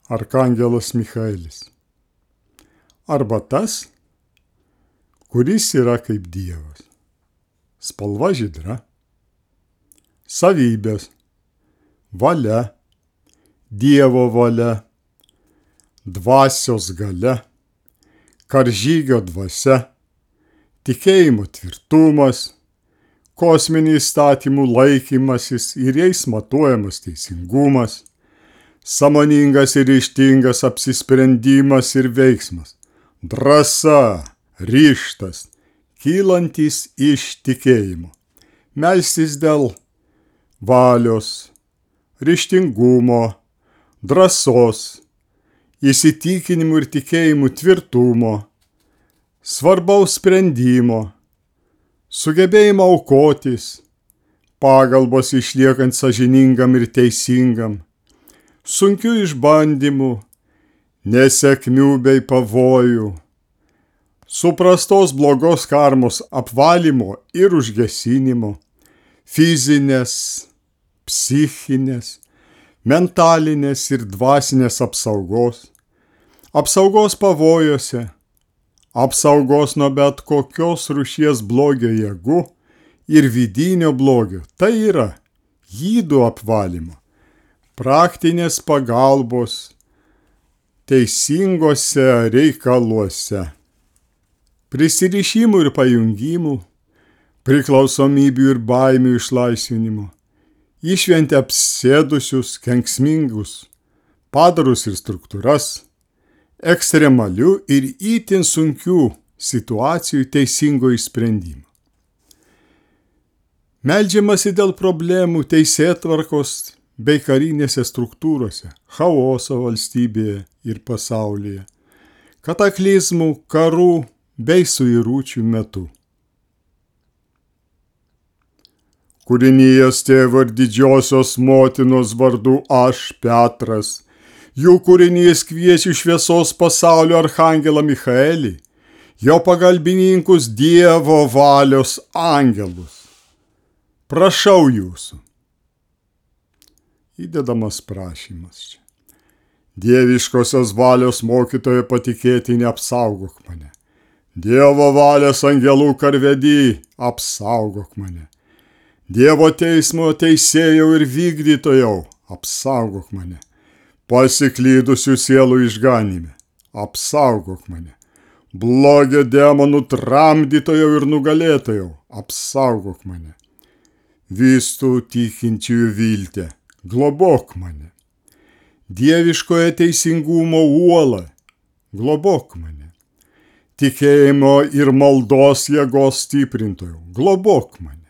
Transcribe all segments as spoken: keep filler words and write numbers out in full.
arkangelas Michaelis. Arba tas, kuris yra kaip Dievas. Spalva žydra, savybės, valia, Dievo valia, dvasios galia, karžygio dvasia, tikėjimo tvirtumas, kosminių įstatymų laikymasis ir jais matuojamas teisingumas, sąmoningas ir ryžtingas apsisprendimas ir veiksmas, drąsa, ryžtas, kylantis iš tikėjimo, melstis dėl valios, ryžtingumo, drąsos, įsitikinimų ir tikėjimų tvirtumo, svarbaus sprendimo, sugebėjimo aukotis, pagalbos išliekant sąžiningam ir teisingam, sunkių išbandymų, nesėkmių bei pavojų, suprastos blogos karmos apvalymo ir užgesinimo, fizinės, psichinės, mentalinės ir dvasinės apsaugos, apsaugos pavojuose, apsaugos nuo bet kokios rūšies blogio jėgų ir vidinio blogio, tai yra ydų apvalymo, praktinės pagalbos teisingose reikaluose, prisirišimų ir pajungimų, priklausomybių ir baimių išlaisvinimo, išventi apsėdusius, kenksmingus padarus ir struktūras, ekstremalių ir itin sunkių situacijų teisingo išsprendimo. Meldžiamasi dėl problemų teisėtvarkos bei karinėse struktūrose, chaoso valstybėje ir pasaulyje, kataklizmų, karų bei suiručių metu. Kūrinijos tėvo ir didžiosios motinos vardu aš, Petras, jų kūrinys kviečia šviesos pasaulio arkangelą Michaelį, jo pagalbininkus Dievo valios angelus. Prašau jūsų. Įdedamas prašymas čia. Dieviškosios valios mokytojo patikėtinį apsaugok mane. Dievo valios angelų karvedį apsaugok mane. Dievo teismo teisėjau ir vykdytojau, apsaugok mane. Pasiklydusių sielų išganime, apsaugok mane. Blogio demonų tramdytojau ir nugalėtojau, apsaugok mane. Vistų tikinčiųjų viltė, globok mane. Dieviškoje teisingumo uola, globok mane. Tikėjimo ir maldos jėgos stiprintojau, globok mane.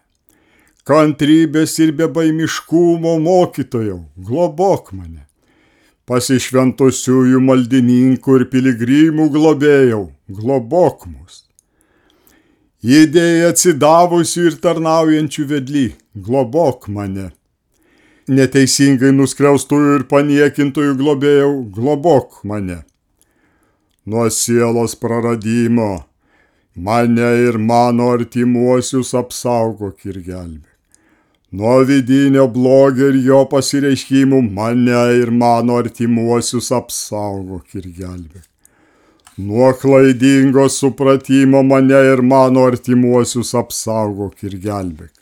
Kantrybės ir bebaimiškumo mokytojau, globok mane. Pasišventusiųjų maldininkų ir piligrimų globėjau, globok mus. Idėjai atsidavusių ir tarnaujančių vedly, globok mane. Neteisingai nuskriaustųjų ir paniekintojų globėjau, globok mane. Nuo sielos praradimo mane ir mano artimuosius apsaugok ir gelbėk. Nuo vidinio blogio ir jo pasireiškimų mane ir mano artimuosius apsaugok ir gelbėk. Nuo klaidingo supratimo mane ir mano artimuosius apsaugok ir gelbėk.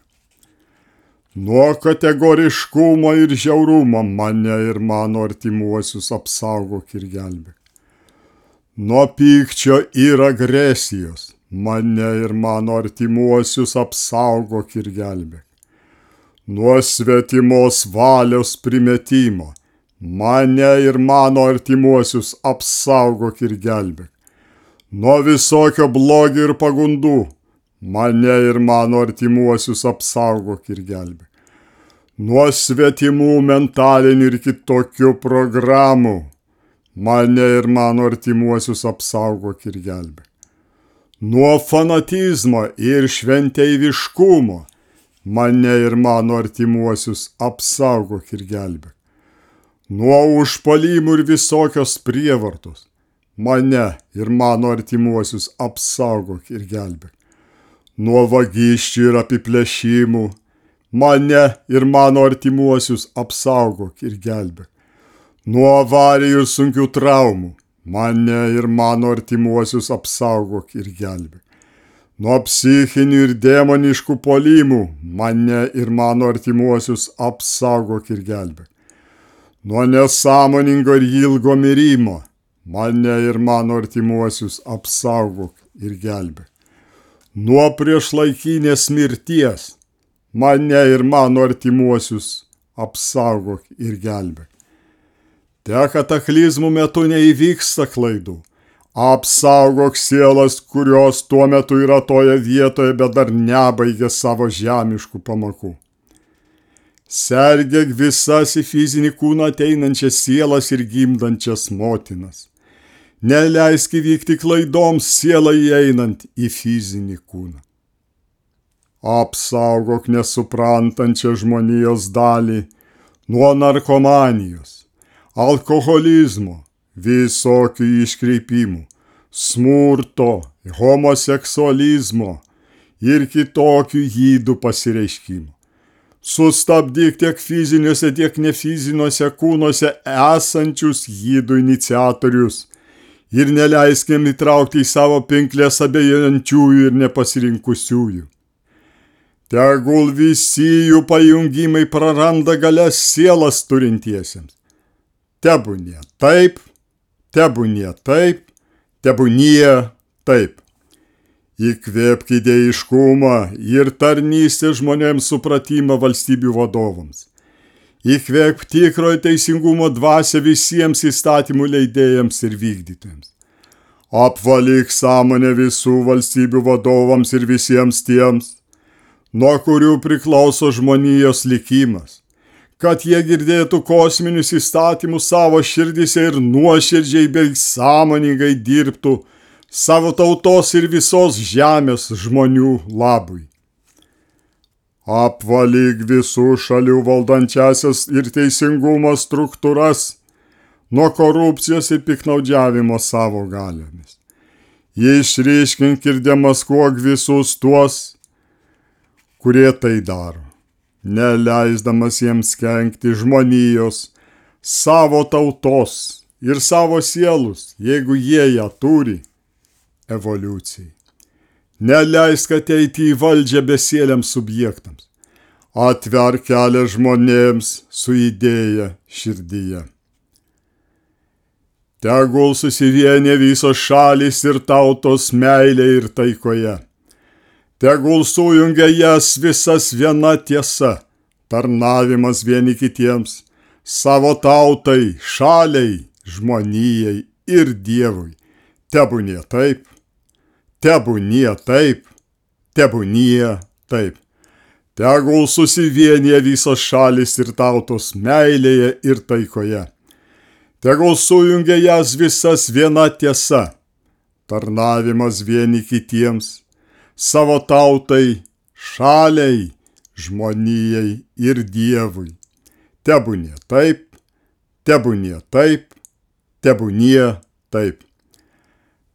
Nuo kategoriškumo ir žiaurumo mane ir mano artimuosius apsaugok ir gelbėk. Nuo pykčio ir agresijos mane ir mano artimuosius apsaugok ir gelbėk. Nuo svetimos valios primetimo mane ir mano artimuosius apsaugok ir gelbėk. Nuo visokio blogio ir pagundų mane ir mano artimuosius apsaugok ir gelbėk. Nuo svetimų mentalinių ir kitokių programų mane ir mano artimuosius apsaugok ir gelbėk. Nuo fanatizmo ir šventeiviškumo mane ir mano artimuosius apsaugok ir gelbėk. Nuo užpuolimų ir visokios prievartos mane ir mano artimuosius apsaugok ir gelbėk. Nuo vagysčių ir apiplėšimų mane ir mano artimuosius apsaugok ir gelbėk. nuo avarijų ir sunkių traumų. Mane ir mano artimuosius apsaugok ir gelbėk. Nuo psichinių ir demoniškų puolimų. Mane ir mano artimuosius apsaugok ir gelbėk. Nuo nesąmoningo ir ilgo mirimo. Mane ir mano artimuosius apsaugok ir gelbėk. Nuo priešlaikinės mirties. Mane ir mano artimuosius apsaugok ir gelbėk. Te kataklizmų metu neįvyksta klaidų. Apsaugok sielas, kurios tuo metu yra toje vietoje, bet dar nebaigė savo žemiškų pamokų. Sergėk visas į fizinį kūną ateinančias sielas ir gimdančias motinas. Neleisk įvykti klaidoms sielą įeinant į fizinį kūną. Apsaugok nesuprantančią žmonijos dalį nuo narkomanijos, alkoholizmo, visokių iškreipimų, smurto, homoseksualizmo ir kitokių ydų pasireiškimų. Sustabdyk tiek fiziniuose, tiek nefiziniuose kūnuose esančius ydų iniciatorius ir neleisk jiem įtraukti į savo pinklės abejojančiųjų ir nepasirinkusiųjų. Tegul visi jų pajungimai praranda galias sielas turintiesiems. Tebūnie taip, tebūnie taip, tebūnie taip. Įkvėpk idėjiškumą ir tarnystę žmonėms supratimą valstybių vadovams. Įkvėpk tikrojo teisingumo dvasią visiems įstatymų leidėjams ir vykdytojams. Apvalyk sąmonę visų valstybių vadovams ir visiems tiems, nuo kurių priklauso žmonijos likimas, kad jie girdėtų kosminius įstatymus savo širdyse ir nuoširdžiai bei sąmoningai dirbtų savo tautos ir visos žemės žmonių labui. Apvalyk visų šalių valdančiasias ir teisingumo struktūras nuo korupcijos ir piknaudžiavimo savo galiomis. Išryškink ir demaskuok visus tuos, kurie tai daro, neleisdamas jiems kenkti žmonijos, savo tautos ir savo sielus, jeigu jie ją turi, evoliucijai. Neleisk ateiti į valdžią besieliams subjektams. Atverk kelią žmonėms su idėja širdyje. Tegul susivienė visos šalys ir tautos meilė ir taikoje. Tegul sujungia jas visas viena tiesa, tarnavimas vieni kitiems, savo tautai, šaliai, žmonijai ir Dievui. Tebūnie taip, tebūnie taip, tebūnie taip. Tegul susivienyje visos šalis ir tautos meilėje ir taikoje. Tegul sujungia jas visas viena tiesa, tarnavimas vieni kitiems, savo tautai, šaliai, žmonijai ir Dievui. Tebūnie taip, tebūnie taip, tebūnie taip.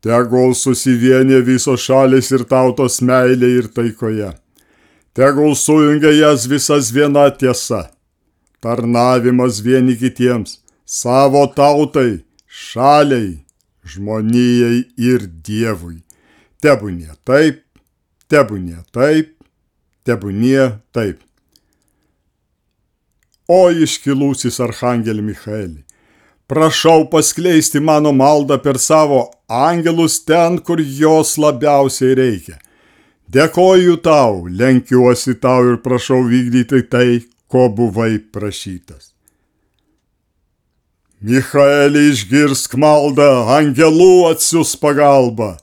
Tegul susivienyje visos šalis ir tautos meilė ir taikoje. Tegul sujungia jas visas viena tiesa, tarnavimas vieni kitiems, savo tautai, šaliai, žmonijai ir Dievui. Tebūnie taip, tebūnie taip, tebūnie taip. O iškilusis archangeli Michaeli, prašau paskleisti mano maldą per savo angelus ten, kur jos labiausiai reikia. Dėkoju tau, lenkiuosi tau ir prašau vykdyti tai, ko buvai prašytas. Michaeli, išgirsk maldą, angelų atsiųs pagalbą.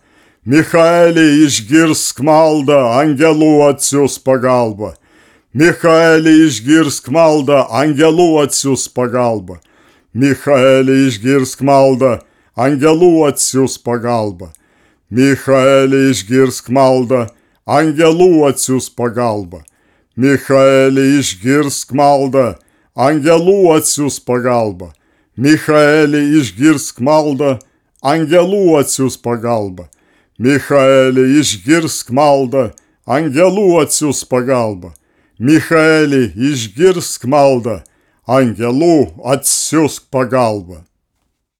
Michaeli, išgirsk maldą, angelų atsiųs pagalbą. Michaeli, išgirsk maldą, angelų atsiųs pagalbą. Michaeli, išgirsk maldą, angelų atsiųs pagalbą. Michaeli, išgirsk maldą, angelų atsiųs pagalbą. Michaeli, išgirsk maldą, angelų atsiųs pagalbą. Michaeli, išgirsk maldą, angelų atsiųs pagalbą. Michaeli, išgirsk maldą, angelų atsiųs pagalbą. Michaeli, išgirsk maldą, angelų atsiųsk pagalbą.